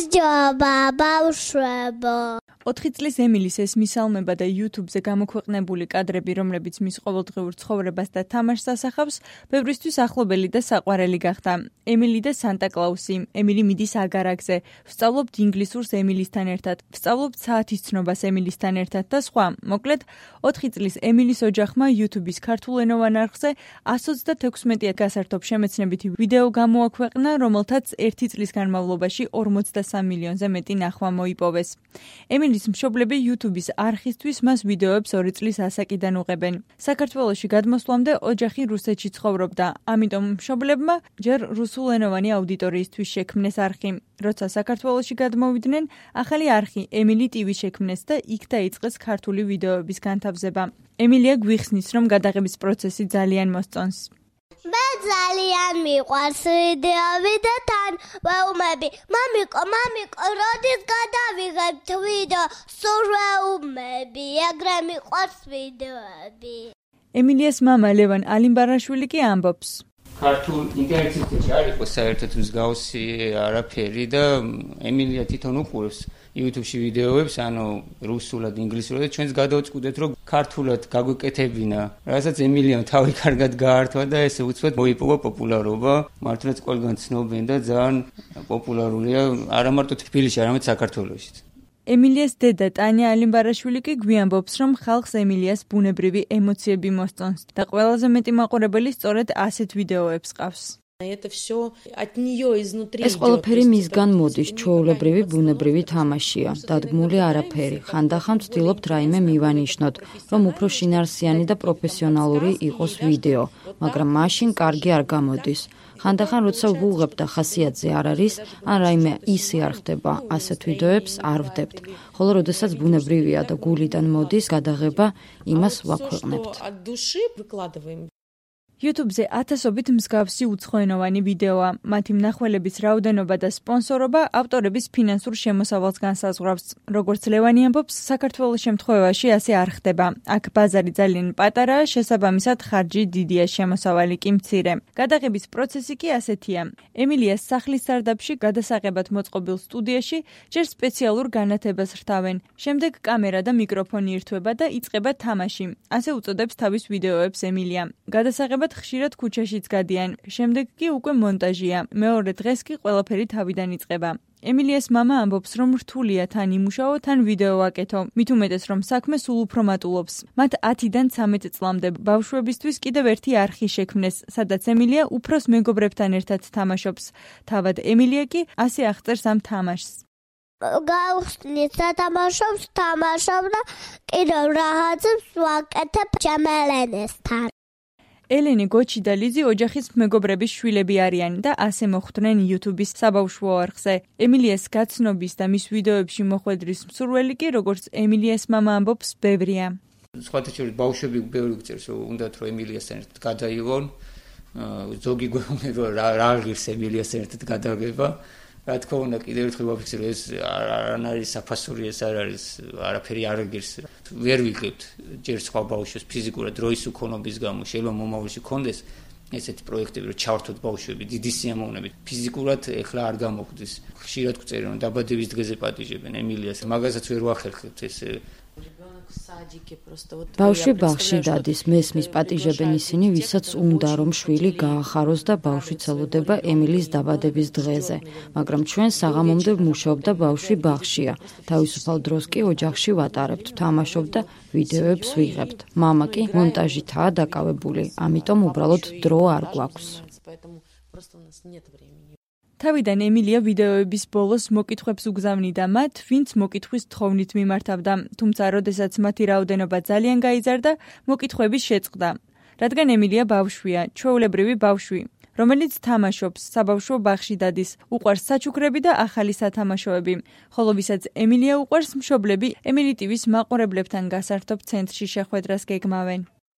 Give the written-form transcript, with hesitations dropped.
გამარჯობა, ბავშვებო. 4 წლის ემილის ეს მისალმება და YouTube-ზე გამოქვეყნებული კადრები, რომლებიც მის ყოველდღიურ ცხოვრებას და თამაშს ასახავს, ბევრისთვის ახლობელი და საყვარელი გახდა. ემილი და სანტა-კლაუსი, ემილი მიდის აგარაკზე, ვსწავლობთ ინგლისურს ემილისთან ერთად, ვსწავლობთ საათის ცნობას ემილისთან ერთად და სხვა. მოკლედ, 4 წლის ემილის ოჯახმა YouTube-ის ქართულენოვან არხზე 126 გასართობ შემეცნებითი ვიდეო გამოაქვეყნა, რომელთაც 1 წლის განმავლობაში 43 მილიონზე მეტი ნახვა მოიპოვეს. ემილის მშობლები YouTube-ის არხისთვის მას ვიდეოებს 2 წლის ასაკიდან უღებენ. საქართველოში გადმოსვლამდე ოჯახი რუსეთში ცხოვრობდა, ამიტომ მშობლებმა ჯერ რუსულენოვანი აუდიტორიისთვის შექმნეს არხი. როცა საქართველოში გადმოვიდნენ, ახალი არხი ემილი TV შექმნეს და იქ დაიწყეს ქართული ვიდეოების განთავზება. ემილია გვიხსნის, რომ გადაღების პროცესი ძალიან მოსწონს. მე ძალიან მიყვარს ვიდეოები და თან ვეუბნები. მამიკო, როდის გადავიღებთ ვიდეო? სულ ვეუბნები, ეგრე მიყვარს ვიდეოები. ემილიას მამა ლევან ალიმბარაშვილი კი ამბობს. ქართულ ინტერნეტში არ იყო საერთოდ მსგავსი არაფერი და ემილია თვითონ უყურებს YouTube-ში ვიდეოებს, ანუ რუსულად, ინგლისურად და ჩვენს გადავწყვიტეთ, რომ ქართულად გაგვეკეთებინა. რასაც ემილიამ თავი კარგად გაართვა და ესე უცბად მოიპოვა პოპულარობა. მართლაც ყველგან ცნობენ და ძალიან პოპულარულია არა მარტო თბილისში, არამედ საქართველოშიც. ემილიას დედა ტანია ალიმბარაშვილი კი გვიამბობს, რომ ხალხს ემილიას ბუნებრივი ემოციები მოსწონს და ყველაზე მეტი მაყურებელი სწორედ ასეთ ვიდეოებს ყავს. ეს ყველაფერი მისგან მოდის, ჩვეულებრივი ბუნებრივი თამაშია, დადგმული არაფერი. ხანდახან ვცდილობთ რაიმე მივანიშნოთ, რომ უფრო შინაარსიანი და პროფესიონალური იყოს ვიდეო, მაგრამ მაშინ კარგი არ გამოდის. ხანდახან როცა ვუღებ და ხასიათზე არ არის, ან რაიმე ისე არ ხდება, ასეთ ვიდეოებს არ ვდებთ. ხოლო როდესაც ბუნებრივია და გულიდან მოდის გადაღება, იმას ვაქვეყნებთ. YouTube-ზე ათასობით მსგავსი უცხოენოვანი ვიდეოა. მათი მნახველების რაოდენობა და სპონსორობა ავტორების ფინანსურ შემოსავალს განსაზღვრავს. როგორც ლევანი ამბობს, საქართველოს შემთხვევაში ასე არ ხდება. აქ ბაზარი ძალიან პატარაა, შესაბამისად ხარჯი დიდია, შემოსავალი კი მცირე. გადაღების პროცესი კი ასეთია. ემილიას სახლის სარდაფში გადასაღებად მოწყობილ სტუდიაში ჯერ სპეციალურ განათებას რთავენ. შემდეგ კამერა და მიკროფონი ირთვება და იწყება თამაში. ასე უწოდებს თავის ვიდეოებს ემილია. გადასაღება ხშირად ქუჩაშიც გადიან, შემდეგ კი უკვე მონტაჟია. მეორე დღეს კი ყველაფერი თავიდან იწყება. ემილიას მამა ამბობს, რომ რთულია თან იმუშაო, თან ვიდეო აკეთო. მით უმეტეს, რომ საქმე სულ უფრო მატულობს. მათ 10-დან 13 წლამდე ბავშვებისთვის კიდევ ერთი არხი შექმნეს, სადაც ემილია უფროს მეგობრებთან ერთად თამაშობს. თავად ემილია კი ასე აღწერს ამ თამაშს. გავხსნით სათამაშოს, თამაშობ და კიდევ რაღაცებს ვაკეთებ ჩემელენესთან. ელენე, გოჩი და ლიზი ოჯახის მეგობრების შვილები არიან და ასე მოხვდნენ YouTube-ის საბავშვო არხზე. ემილიას გაცნობის და მის ვიდეოებში მოხვედრის მსურველი კი, როგორც ემილიას მამა ამბობს, ბევრია. სხვათა შორის ბავშვები ბევრი გწერს, რომ უნდათ რომ ემილიასთან ერთად გადაიღონ. ზოგი გვეუბნება რა ღირს ემილიასთან ერთად გადაგება. რა თქმა უნდა, კიდევ ერთხელ ვაფიქსირო, ეს არ არის საფასური, ეს არ არის არაფერი არ ღირს. ვერ ვიღებთ ჯერ სხვა ბავშვებს ფიზიკურად დროის უქონობის გამო, შეიძლება მომავალში კონდეს ესეთი პროექტები, რომ ჩავართოთ ბავშვები დიდი სიამოვნებით. ფიზიკურად ეხლა არ გამოგვდის. ხშირად გვწერენ, რომ დაბადების დღეზე პატიჟებენ ემილიას. მაგასაც ვერ ვახერხებთ ეს ბავშვი ბაღში დადის, მესმის პატიჟებენ ისინი, ვისაც უნდა რომ შვილი გაახაროს და ბავშვი ცელოდება ემილის დაბადების დღეზე. მაგრამ ჩვენ საღამომდე ვმუშაობ და ბავშვი ბაღშია. თავისუფალ დროს კი ოჯახში ვატარებთ, ვთამაშობ და ვიდეოებს ვიღებთ. მამა კი მონტაჟითაა დაკავებული, ამიტომ უბრალოდ დრო არ გვაქვს. თავიდან ემილია ვიდეოების ბოლოს მოკითხვებს უგზავნიდა მათ, ვინც მოკითხვის თხოვნით მიმართავდა, თუმცა როდესაც მათი რაოდენობა ძალიან გაიზარდა, მოკითხვები შეწყდა. რადგან ემილია ბავშვია, ჩვეულებრივი ბავშვი, რომელიც თამაშობს, საბავშვო ბაღში დადის, უყვარს საჩუქრები და ახალი სათამაშოები, ხოლო ვისაც ემილია უყვარს, მშობლები ემილი TV-ს მაყურებლებთან გასართობ ცენტრში შეხვედრას გეგმავენ.